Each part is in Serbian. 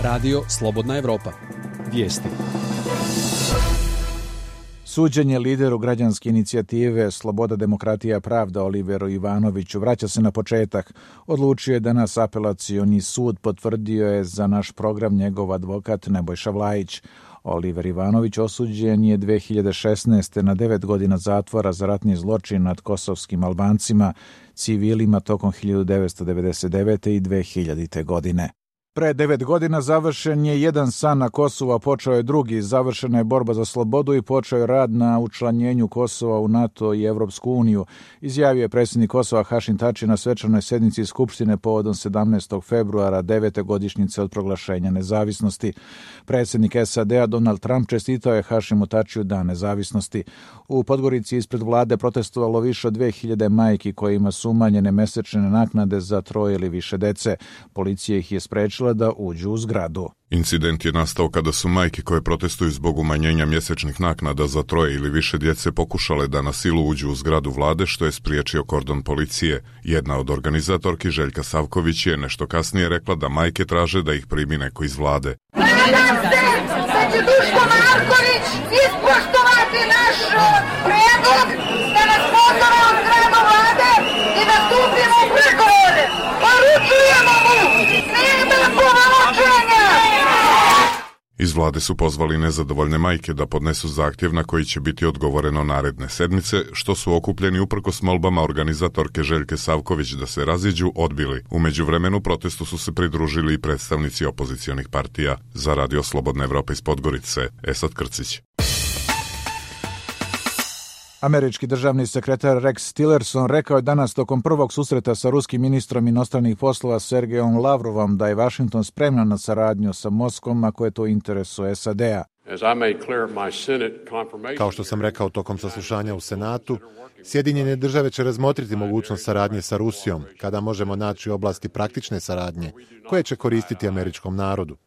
Radio Slobodna Evropa. Vijesti. Suđenje lideru građanske inicijative Sloboda, demokratija, pravda Oliveru Ivanoviću vraća se na početak. Odlučio je danas apelacioni sud, potvrdio je za naš program njegov advokat Nebojša Vlajić. Oliver Ivanović osuđen je 2016. na 9 godina zatvora za ratni zločin nad kosovskim Albancima, civilima tokom 1999. i 2000. godine. Pre 9 godina završen je jedan san na Kosovu, a počeo je drugi. Završena je borba za slobodu i počeo je rad na učlanjenju Kosova u NATO i Evropsku uniju, izjavio je predsjednik Kosova Hašim Tači na svečanoj sednici Skupštine povodom 17. februara 9. godišnjice od proglašenja nezavisnosti. Predsjednik SAD-a Donald Trump čestitao je Hašimu Tačiju Dan nezavisnosti. U Podgorici ispred vlade protestovalo više od 2000 majki kojima su umanjene mesečne naknade za 3 ili više dece. Policija ih je sprečila da uđu u zgradu. Incident je nastao kada su majke koje protestuju zbog umanjenja mjesečnih naknada za 3 ili više djece pokušale da na silu uđu u zgradu vlade, što je spriječio kordon policije. Jedna od organizatorki, Željka Savković, je nešto kasnije rekla da majke traže da ih primi neko iz vlade. Nadam se da će Duško Marković ispoštovati naš predlog da nas pozove u zgradu vlade i da stupimo u pregovore. Poručujemo mu, nema povučenja! Iz vlade su pozvali nezadovoljne majke da podnesu zahtjev na koji će biti odgovoreno naredne sedmice, što su okupljeni uprkos molbama organizatorke Željke Savković da se raziđu odbili. U međuvremenu protestu su se pridružili i predstavnici opozicionih partija. Za Radio Slobodna Evropa iz Podgorice, Esad Krcić. Američki državni sekretar Rex Tillerson rekao je danas tokom prvog susreta sa ruskim ministrom inostranih poslova Sergejom Lavrovom da je Washington spreman na saradnju sa Moskvom ako je to u interesu SAD-a. Kao što sam rekao tokom saslušanja u Senatu, Sjedinjene države će razmotriti mogućnost saradnje sa Rusijom kada možemo naći oblasti praktične saradnje koje će koristiti američkom narodu.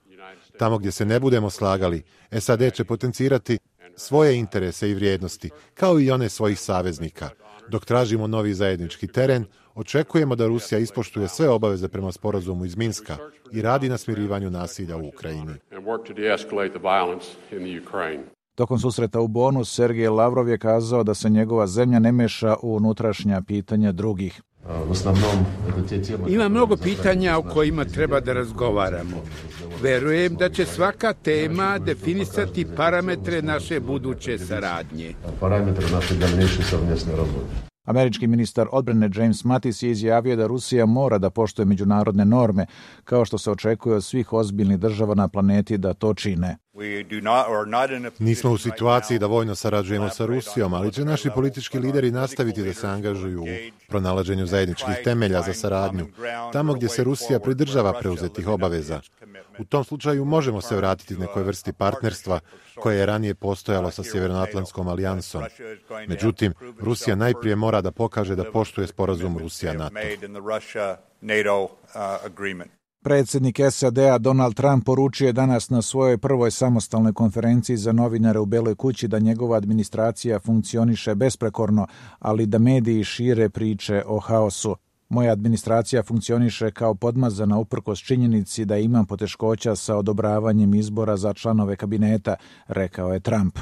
Tamo gdje se ne budemo slagali, SAD će potencirati svoje interese i vrijednosti, kao i one svojih saveznika. Dok tražimo novi zajednički teren, očekujemo da Rusija ispoštuje sve obaveze prema sporazumu iz Minska i radi na smirivanju nasilja u Ukrajini. Tokom susreta u Bonu, Sergej Lavrov je kazao da se njegova zemlja ne meša u unutrašnja pitanja drugih. Ima mnogo pitanja o kojima treba da razgovaramo. Verujem da će svaka tema definisati parametre naše buduće saradnje. Američki ministar odbrane James Mattis je izjavio da Rusija mora da poštuje međunarodne norme, kao što se očekuje od svih ozbiljnih država na planeti da to čine. Nismo u situaciji da vojno sarađujemo sa Rusijom, ali će naši politički lideri nastaviti da se angažuju u pronalaženju zajedničkih temelja za saradnju, tamo gdje se Rusija pridržava preuzetih obaveza. U tom slučaju možemo se vratiti nekoj vrsti partnerstva koje je ranije postojalo sa Sjevernoatlantskom alijansom. Međutim, Rusija najprije mora da pokaže da poštuje sporazum Rusija-NATO. Predsjednik SAD-a Donald Trump poručio je danas na svojoj prvoj samostalnoj konferenciji za novinare u Beloj kući da njegova administracija funkcioniše besprekorno, ali da mediji šire priče o haosu. Moja administracija funkcioniše kao podmazana uprkos činjenici da imam poteškoća sa odobravanjem izbora za članove kabineta, rekao je Trump.